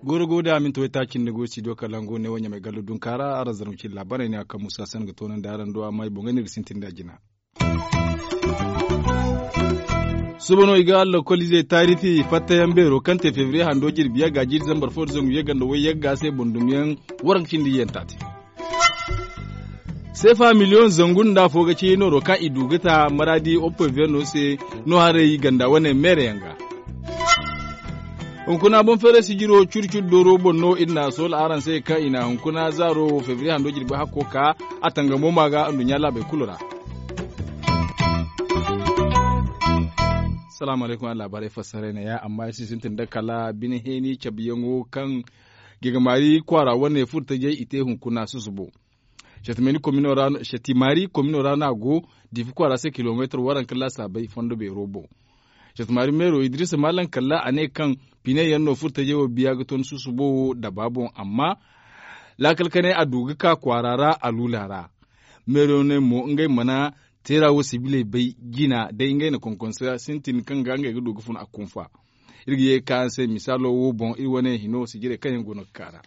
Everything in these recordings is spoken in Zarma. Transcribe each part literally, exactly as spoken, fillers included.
Gooro go da minti waytaaci nda go studio kalangu ne wo ɲamay gallo dunkaara araŋ zarma cine laabaarey ne a kaŋ musa san ga toonandi araŋ do amma i boŋ ga ne ga sintin da jina. Suba no i ga lokoliizey taarifi fattayaŋ beero kaŋ te febriye hando jirbi yagga jiiri zambar fo da zangu yagga nda way yagga se boŋ dumyaŋ waranka cindi iyanta te. Seefa miliyoŋ zangu nda afo ga ci nooro kaŋ i du ga ta maraadi oppoy verno se no haray ganda wane meere yaŋ ga. Hunkuna boŋ feeray sijiro curi curi dooro boŋ no iri na a soola araŋ se kaŋ i na hunkuna zaaro febriye hando jirbi hakko ka a tangamo ma ga nduɲɲa laabey kulu ra. Salaamu alaykum a laabaarey fassaray ne ya amma iri si sintin da kala bine heeni cabe yaŋo kaŋ gegamaari kwaara wane furtajey i te hunkuna susubo. Satimaari komino ra no a go difi kwaara se kilomeetar waranka laasaabey fondo beero boŋ. Satimaari meero idiriisa maalam kalla a ne kaŋ pine yaŋ no furtajey wo biya ga ton susubo wo daba boŋ amma laakal kanay a du ga ka kwaara ra a luula ra. Meero ne mo ngey mana teera wo sibiley bay jina day ngey na konkonsa sintin kaŋ ga ngey ga du ga fun a kunfa. Iri ga ye ga ka araŋ se misaalo wo boŋ iri wane hino sijirey kaŋ yaŋ go no ga ka ra.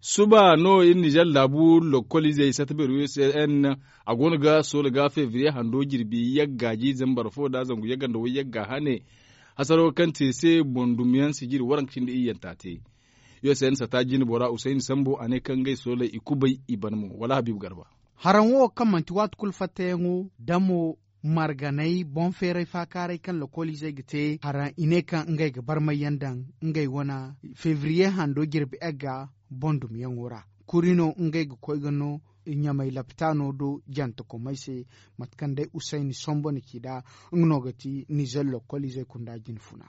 Suba no iri nizer laabu lokoliizey sata beero u s n a go no ga soola ga febriye hando jirbi yagga jiiri zambar fo da zangu yagga nda way yagga hane hasaro kaŋ te se boŋ dumyaŋ sijiri waranka cindi iyyanta te. U s n sata jine bora usayni sambo a ne kaŋ ngey sooley i kubay i ban mo wala habiibu garba. Haraŋ wo kaŋ manti waati kulu fattayaŋo damo marganay boŋ feeray faakaaray kaŋ lokoliizey ga te haraŋ i ne kaŋ ngey ga barmay yaŋ daŋ ngey wane febriye hando jirbi egga boŋ dumyaŋo ra. Kuri no ngey ga koy ga no ɲamay lapitaano do jantakomey se. Mate kaŋ day usayni sombo na ci nd'a nga no ga ti nizer lokoliizey kunda jinfuna.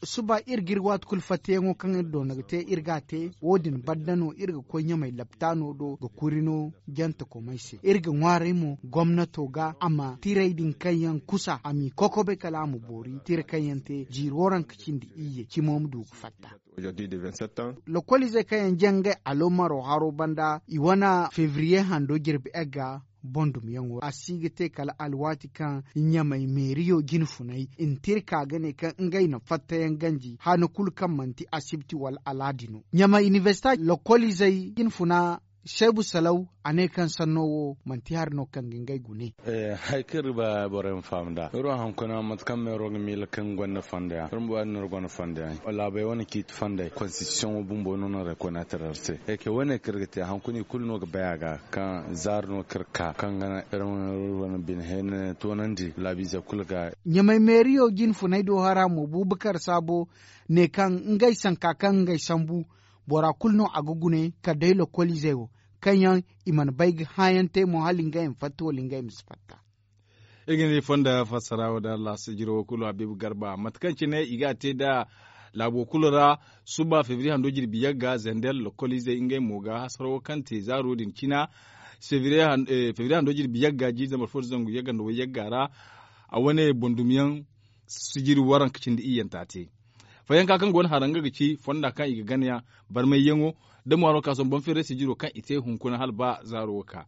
Suba iri ga iri waati kulu fattayaŋo kaŋ iri doona ga te iri ga a te wo- din banda no iri ga koy ɲamay lapitaano do ga kuri no jantakomey se iri ga ŋwaaray mo gomnato ga a ma tiray din kaŋ yaŋ kusa a m'i kokobe kala a ma boori tira kaŋ yaŋ te jiiri waranka cindi iyye cimo ma du ga fatta. Lokoliizey kaŋ yaŋ jaŋ ngey aloomaro haro banda i wane febriye hando jirbi egga boŋ dumyaŋo a si ga te kala alwaati kaŋ ɲamay meeriyo jinfunay i na te iri ka ga ne kaŋ ngey na fattayaŋ ganji hane kulu kaŋ manti asibti wala alaadi no ɲamay inibersita lokoliizey jinfuna seebu salaw a ne kaŋ sanno wo manti hari no kaŋ ga ngey gune. Hari kaŋ iri ga ba borey ma faham nd'a iri wo hunkuna mate kaŋ meero ga miila kaŋ gonda fondo yaŋ iri ma ba iri no iri gonda fondo yaŋ laabey wane ciiti fondey konstitisiyoŋo bumbo no no rekoneetir iri se. Eke wane kaŋ iri ga te hunkuna i kulu no ga bay a ga kaŋ zaari no kaŋ iri ka kaŋ ga naŋ iri ma iri wane bine heene toonandi laabiize kulu ga. Ɲamay meeriyo jinfunay do hara mo buubakar saabo ne kaŋ ngey sanka kaŋ ngey sambu bora kulu no a ga gune kala day lokoliizey wo kaŋ yaŋ i mana bay ga hããyaŋ te mo hala ngey ma fatta wala ngey ma si fatta. Iri ga ne fonda fassara wo da allah sijiro wo kulu habiibu garba mate kaŋ cine i ga a te nda laabo kulu ra. Suba febriye hando jirbi yagga zender lokoliizey ngey mo ga hasaro kaŋ te zaaro din cina febriye hando jirbi yagga jiiri zambar fo da zangu yagga nda way yagga ra a wane boŋ dumyaŋ sijiri waranka cindi iyyanta te. Fayanka kaŋ go no hara nga ga ci fonda kaŋ i ga gana yaŋ barmayyaŋo da ŋwaaro ka sohõ boŋ feeray sijiro kaŋ i te hunkuna hala ba zaaro wo ka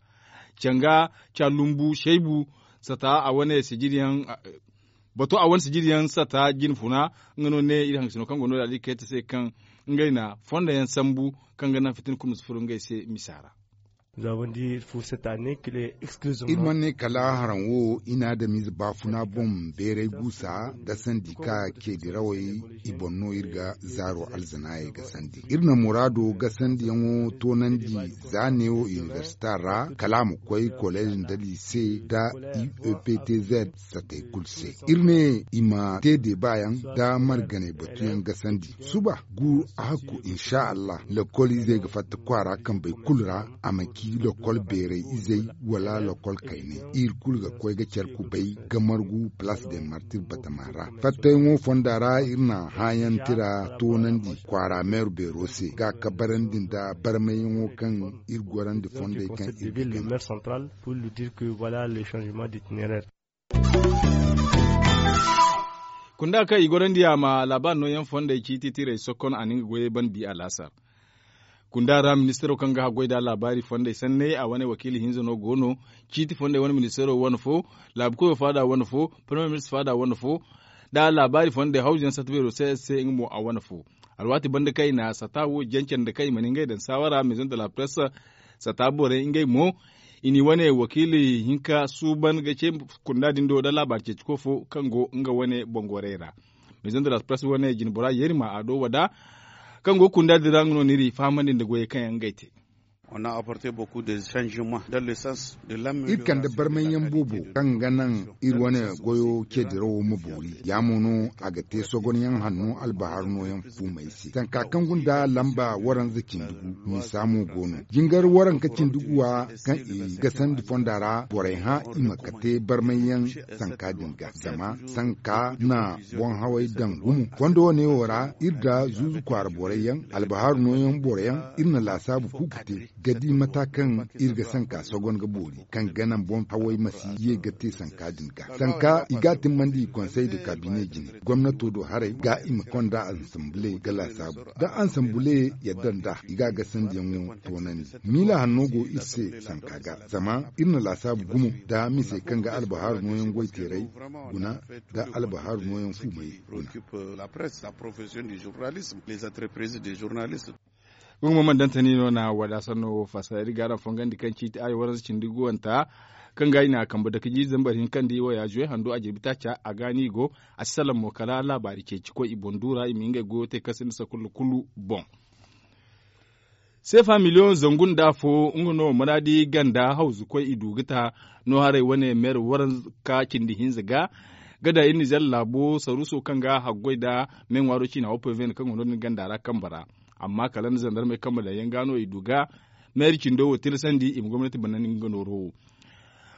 canga ca lumbu saybu sata a wane sijiri yaŋ bato a wane sijiri yaŋ sata jinfuna. Nga no ne iri haŋgasino kaŋ go no da iri kayta se kaŋ ngey na fondo yaŋ sambu kaŋ ga naŋ fitina kulu ma si furo ngey se misa ra. Iri mana ne kala haraŋ wo i na adamize baafuna boŋ beeray guusa gasandi ka ceedirawey i boŋ no iri ga zaaro alzanaayey gasandi iri na muraado gasandiyaŋo toonandi za neewo inibersita ra kala a ma koy koleez nda liise nda u e p t z satey kulu se iri ne i ma te deebaayaŋ nda marganey batuyaŋ gasandi suba gu a hakku insa allah lokol izey ga fatta kwaara kambey kulu ra a ma ci lokol beeray izey wala lokol kayney iri kulu ga koy ga care kubay ga margu palaas de martir batama ra fattayaŋo fonda ra iri na hãayaŋ tira toonandi kwaara meeru beero se ga kabarandi nda barmayyaŋo kaŋ iri gorandi fondey kaŋ iri ga gana. Kunda kaŋ i gorandi a ma laabaari nooyaŋ fondey ciiti tirey sokon a na nga goyey ban bi alaasar. Kunda ra ministaro kaŋ ga haggoy nda laabaari fondey sanney a wane wakiila hinza no go no. Ciiti fondey wane ministaro wane fo, laabu koyo faada wane fo, parmiye minista faada wane fo, nda laabaari fondey hawzuyaŋ sata beero se se nga mo a wane fo. Alwaati banda kaŋ i na sata wo jance nda kaŋ i mana ngey daŋ saawara meezoŋ de la presse sata borey ngey mo, i na i wane wakiila hinka suuban ga ce kunda din do nda laabaari ceeciko fo kaŋ go nga wane bongorey ra. Meezoŋ de la presse wane jinbora yerima a do wada kaŋ go kunda din ra nga no n'iri fahamandi nda goyey kaŋ yaŋ ngey te. Iri kande barmay yaŋ boobo kaŋ ga naŋ iri wane goyo ce dirawo ma boori ya mo no a ga te sogonyaŋ hanno albahar nooyaŋ fuumey se tanka kaŋ gunda lamba waranza cindi gu. Misa mo go no jingar waranka cindi guwa kaŋ i gasandi fonda ra borey hã i ma kate barmay yaŋ sanka din ga zama sanka na boŋ haway daŋ gumo fondo wane wo ra iri nda zuuzu kwaara borey yaŋ albahaaru nooyaŋ boro yaŋ iri na laasaabu kuuku te ga di mata kaŋ iri ga sanka sogon ga boori kaŋ ga naŋ boŋ haway ma si ye ga te sanka din ga sanka i ga a timmandi konsey nda kaabine jine gomnato do haray ga i ma konda ansambule ga laasaabu da ansambule yadda nda i ga a gasandiyaŋo toonandi. Miila hanno go iri se sanka ga zama iri na laasaabu gumo nda misey kaŋ ga albahaaru nooyaŋ goyteeray guna nda albahaaru nooyaŋ fuumey guna. Gumo man dantani no na wada sanno wo fassara iri ga araŋ fongandi kaŋ ciiti aayo waranza cindi guwanta kaŋ ga i na kambe dake jiiri zambar hinka nda i waya zuwe handu a jirbi taaca a ga no i go. A si salaŋ mo kala laabaari ceeci koy i boŋ du ra i ma ngey goyo te kaŋ sinda sakulla kulu boŋ. Seefa miliyoŋ zangu nda afo nga no maraadi ganda hawzu koy i du ga ta no haray wane meera waranka cindi hinza ga ga daŋ iri nizer laabo saruuso kaŋ ga haggoy nda meeŋwaaro ciina opv no kaŋ go no- din ganda ra kambe ra. Amma kala nda zandarmey kambe daŋ yaŋ ga no i du ga meera cindo wo tilasandi i ma gomnati bana nga nooro wo.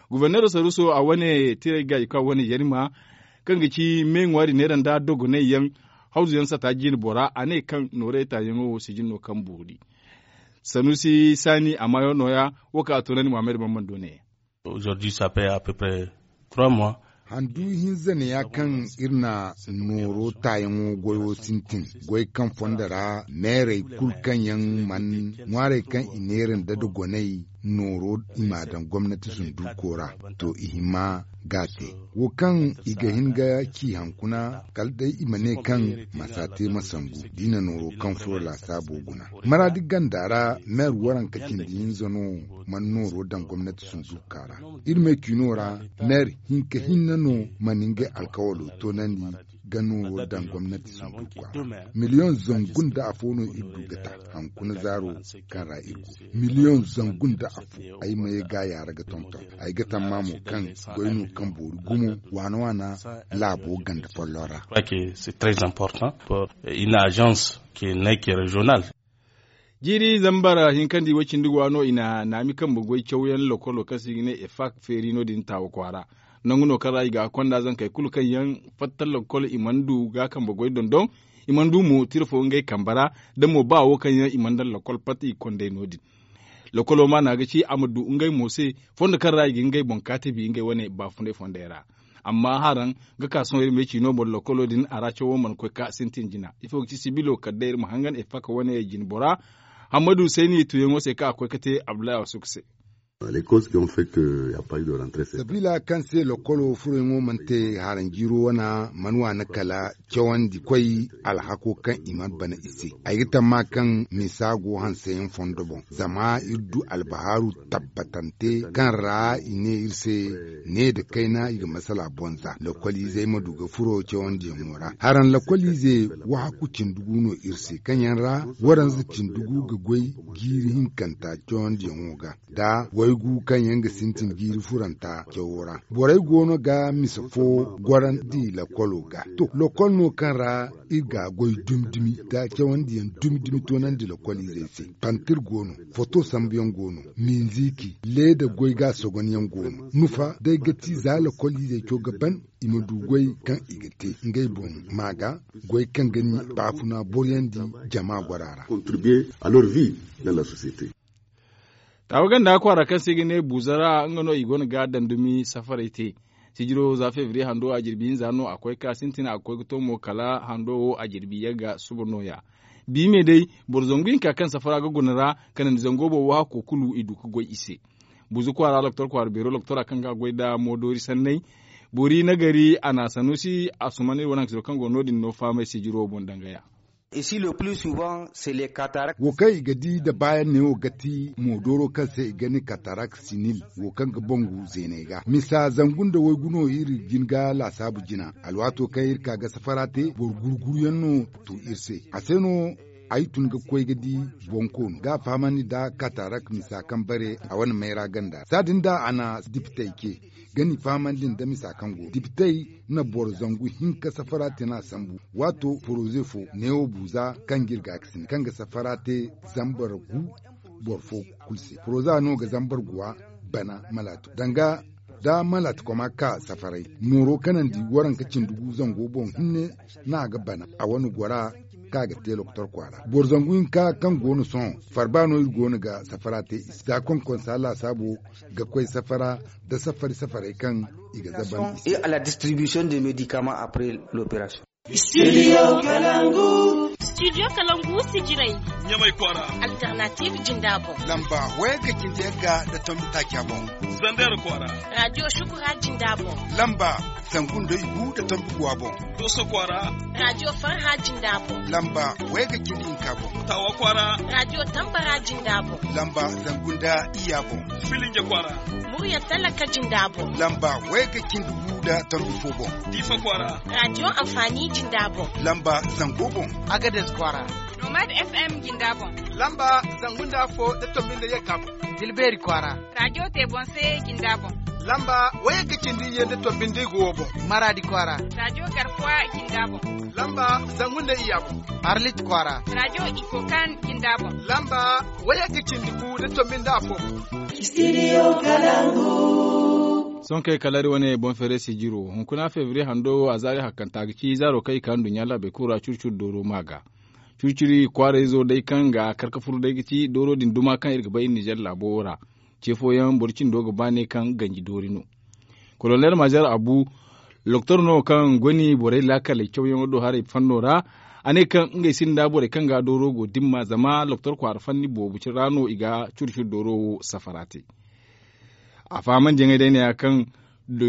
Guberneero saruuso a wane tirey gaayi kaŋ a wane yarima kaŋ ga ci meeŋwaari neera nda dogonay yaŋ hawzu yaŋ sata jiine bora a ne kaŋ noorey taayaŋo wo sijin no kaŋ boori. Sanuusi saani a maayo nooya wo kaŋ a toonandi muhammad bambando ne. Handu hinza ne ya kaŋ iri na nooro taayaŋo goyo sintin goy kaŋ fondo ra meerey kulu kaŋ yaŋ mana ŋwaarey kaŋ i neera nda dogonay nooro i m'a daŋ gomnati sunduuko ra. To i hima ga a te wo kaŋ i ga hin ga ci hankuna kala day i ma ne kaŋ masa te ma sangu da i na nooro kaŋ furo laasaabo guna. Maraadi ganda ra meer waranka cindi hinza no mana nooro daŋ gomnati sunduuka ra. Iri me ciino ra meer hinka hinne no mana ngey alkawalo toonandi ga nooro daŋ gomnati sunduuka ra. Miliyoŋ zangu nda afo no iri du ga ta hankuna zaaro kaŋ ra iri go miliyoŋ zangu nda afo. Ay ma ye ga yaara ga tonton ay ga tamma mo kaŋ goy no kaŋ boori gumo waana waana laabo ganda folloŋ ra. Une agence qui n'est que régionale. Jiiri zambar hinkandi way cindi go a no i na naami kambe goy cawyaŋ lokolo kaŋ se i ga ne efak feeri no- din taawa kwaara. Nangu no kaŋ ra i ga a konda zankey kulu kaŋ yaŋ fatta lokol i mana du ga kambe goy dondon. I mana du mo tira fo ngey kambe ra da mo ba wo kaŋ yaŋ i mana daŋ lokol fatta i ga konda ay no- din. Lokolo maana ga ci a ma du ngey mo se fondo kaŋ ra i ga ngey boŋ kaati bi ngey wane baafunday fondey ra. Amma haraŋ ga ka sohõ iri ma ay ci no boro lokolo din a ra cawo mana koy ka sintin jina ifo ga ci sibilo kala day iri ma hangan efaka wane jine bora. Hammadu sayni tuyaŋo se kaŋ a koy ga te abdullahi a suku se. Sabila kaŋ se lokolo furoyaŋo mana te haraŋ jiiro wana mana waani kala cawandi koy alhako kaŋ i mana bana i se. Ay ga tamma kaŋ misa go hanseyaŋ fondo boŋ zama iri du albahaaru tabbatante kaŋ ra i ne iri se ne nda kayna i ga masala bonza lokoliizey ma du ga furo cawandiyaŋo ra haraŋ lokoliize wahakku cindi gu no iri se kaŋ yaŋ ra waranza cindi gu ga goy jiiri hinkanta cawandiyaŋo ga nda waygu kaŋ yaŋ ga sintin jiiri furanta cawo ra. Borey go no ga misa fo gorandi lokolo ga to lokol no kaŋ ra iri ga goy dumi dumi nda cawandiyaŋ dumi dumi toonandi lokoliizey se. Pantir go no, foto sambuyaŋ go no, minziki leeda goy ga a sogonyaŋ go no nufa day ga ti za lokoliizey co ga ban i ma du goy kaŋ i ga te ngey boŋ ma ga goy kaŋ ga ni baafuna boroyandi jama gora ra. Taawa ganda kwaara kaŋ se i ga ne buuza ra nga no i go no ga daŋ dumi safaray te. Sijiro za febriye hando a jirbi hinza no a koy ka sintin a ga koy ga to mo kala hando wo a jirbi yagga suba nooya. Bi me day boro zangu hinka kaŋ safara ga guna ra, kanandi zango boobo hako kulu i du ga goy i se. Buzu kwaara loktor kwaara beero loktora kaŋ ga goy nda moodoori sanney. Bori nagari a na sanusi a suman iri wane haŋ ka siro kaŋ go no- din no fahamay sijiro boŋ dangaya. Wo kaŋ i ga di nda baayaŋ neewo ga ti moodooro kaŋ se i ga ne katarak sinil, wo kaŋ ga bangu zeeney ga misa zangu nda waygu no iri jin ga laasaabu jina. Alwaato kaŋ iri ka ga safara te boro gurguruyaŋ no tu iri se. A se no ay tun ga koy ga di boŋ koonu ga a fahamandi nda katarak misa kaŋ bare a wane mayra ganda saadin da a na dipitey ce. Ga ni fahamandi nda misa kaŋ go dipitey na boro zangu hinka safara te no a sambu. Waato poroze fo neewo buuza kaŋ ga iri ga a ga sine kaŋ ga safara te zambar gu boro fo kulu se poroza no ga zambar guwa bana malaatu danga da malaatu koma ka safaray mooro kanandi waranka cindi gu zango boŋ hinne no a ga bana a wane gora kaŋ a ga te lokotor kwaara boro zangu hinka kaŋ go no sohõ farba no iri go no ga safara te i se za konkonsa laasaabo ga koy safara nda safari safaray kaŋ i ga zaban i se. Studio kalangu sijirey ɲamay kwaara. Alternative jinda boŋ lamba wayga cindi yagga nda tombi taaca boŋ. Zander kwaara. Radio shukura jinda boŋ lamba zangu nda igu nda tombi guwa boŋ. Dooso kwaara. Radio farha jinda boŋ lamba wayga cindi hinka boŋ. Tawa kwaara. Radio tambara jinda boŋ lamba zangu nda iyya boŋ. Filinja kwaara. Murya talaka jinda boŋ lamba wayga cindi gu nda tombi fo boŋ. Diifa kwaara. Radio amfani jinda boŋ lamba zango boŋ. Agades kwaara. Nomad fm jinda boŋ lamba zangu nda afo nda tombi nda yagga boŋ. Dilbeeri kwaara. Radio te boŋ se jinda boŋ lamba wayga cindi iyye nda tombi nda igu wo boŋ. Maraadi kwaara. Radio garkuwa jinda boŋ lamba zangu nda iyya boŋ. Arlit kwaara. Radio ikokan jinda boŋ lamba wayga cindi gu nda tombi nda afo boŋ. Sohõ kay kala iri wane boŋ feere sijiro hunkuna febriye hando wo a zaari hakkanta ga ci zaaro kaŋ i ka nduɲɲa laabey kulu ra curi-curi dooro ma ga. Curi-curi kwaarayzo day kaŋ ga kar ga furu day ga ci dooro din duma kaŋ iri ga bay nizer laabo wo ra. Ce fooyaŋ boro cindo ga ba ne kaŋ ganji doori no. Kolonel mazer abu loktor no kaŋ goni borey laakaley cawyaŋo do haray fanno ra. A ne kaŋ ngey sinda borey kaŋ ga dooro go dimma zama loktor kwaara fanni boobo ra no i ga curi-curi dooro wo safara te. A fahamandi yaŋey day ne ya kaŋ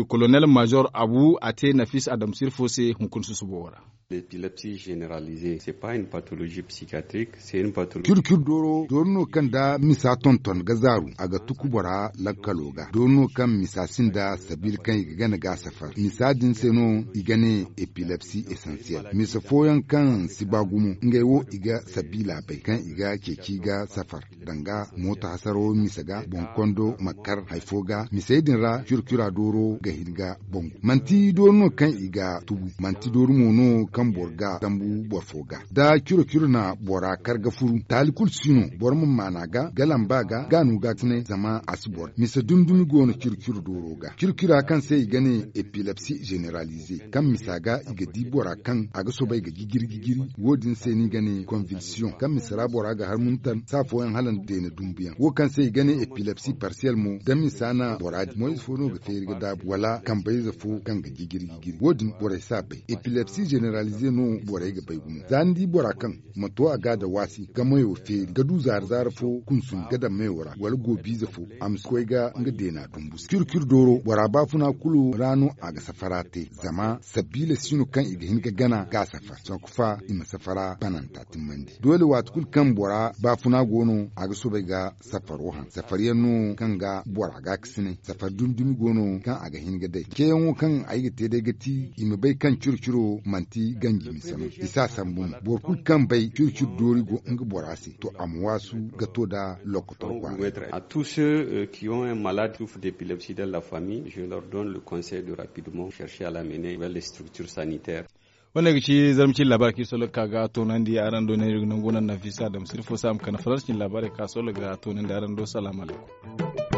kolonel major abu a te nafis adamsir fo se hunkuna susubo wo ra. L'epilepsie généralisée c'est pas une pathologie psychiatrique. C'est une pathologie. Curi-curi dooro dooro no kaŋ da misa tonton ga zaaru a ga tuku bora lakkalo ga dooro no kaŋ misa sinda sabiila kaŋ i ga gana ga safar misa din se no i ga ne epilepsie essentielle misa fooyaŋ kaŋ si ba gumo ngey wo i ga sabiila bay kaŋ i ga ceeci ga safar danga mooto hasaro misa ga boŋ kondo ma kar hari fo ga misey din ra curi-cura dooro ga hin ga bangu manti dooro no kaŋ i ga tubu manti dooro mo no kaŋ boro ga sambu boro fo ga da curo-curo na bora kar ga furu taali kulu si no boro ma maana ga ga lamba ga ga no ga tine zama a si boro misa dumi-dumi go no curo-curo dooro ga curo-cura kaŋ se i ga ne epilepsie généralisée kaŋ misa ga i ga di bora kaŋ a ga soobay ga jijiri-jijiri wo- din se no i ga ne convulsion kaŋ misa ra bora ga har muntan saa fooyaŋ hala nda deena dumbuyaŋ wo kaŋ se i ga ne epilepsie partielle mo da misa na bora di moyze fo no ga feeri ga daabu wala kambayze fo kaŋ ga jijiri-jijiri wo- din borey si a bay epilepsie généralisée no borey ga bay gumo za ni di bora kaŋ ma to a ga da waasi ga mayo feeri ga du zaara-zaara fo kunsumi ga daŋ mayo ra wala goobiize fo a ma si koy ga nga deena dumbu se curi-curi dooro bora baafuna kulu ra no a ga safara te zama sabiila si no kaŋ i ga hin ga gana ga a safar sanku fa i ma safara bananta timmandi doole waati kulu kaŋ bora baafuna go no a ga soobay ga safaro haŋ safar yaŋ no kaŋ ga bora ga ga sine safar dumi-dumi go no kaŋ a ga hin ga day ceeyaŋo kaŋ ay ga te day ga ti i ma bay kaŋ curo-curo manti ganji misa no i si a sambu no boro kulu kaŋ bay curo-curo doori go nga bora se to a ma waasu ga to nda lokotor kwaara. À tous ceux qui ont un malade souffre d'épilepsie dans la famille je leur donne le conseil de rapidement chercher à l'amener vers les structures sanitaires. Wane ga ci zarma cin labaari kaŋ i solo ga ka ga toonandi araŋ do ne iri ga nangu naŋ nafisa dam sirfo saama kande faransa cin labaari kaŋ a solo ga toonandi araŋ do salaamu alaykum.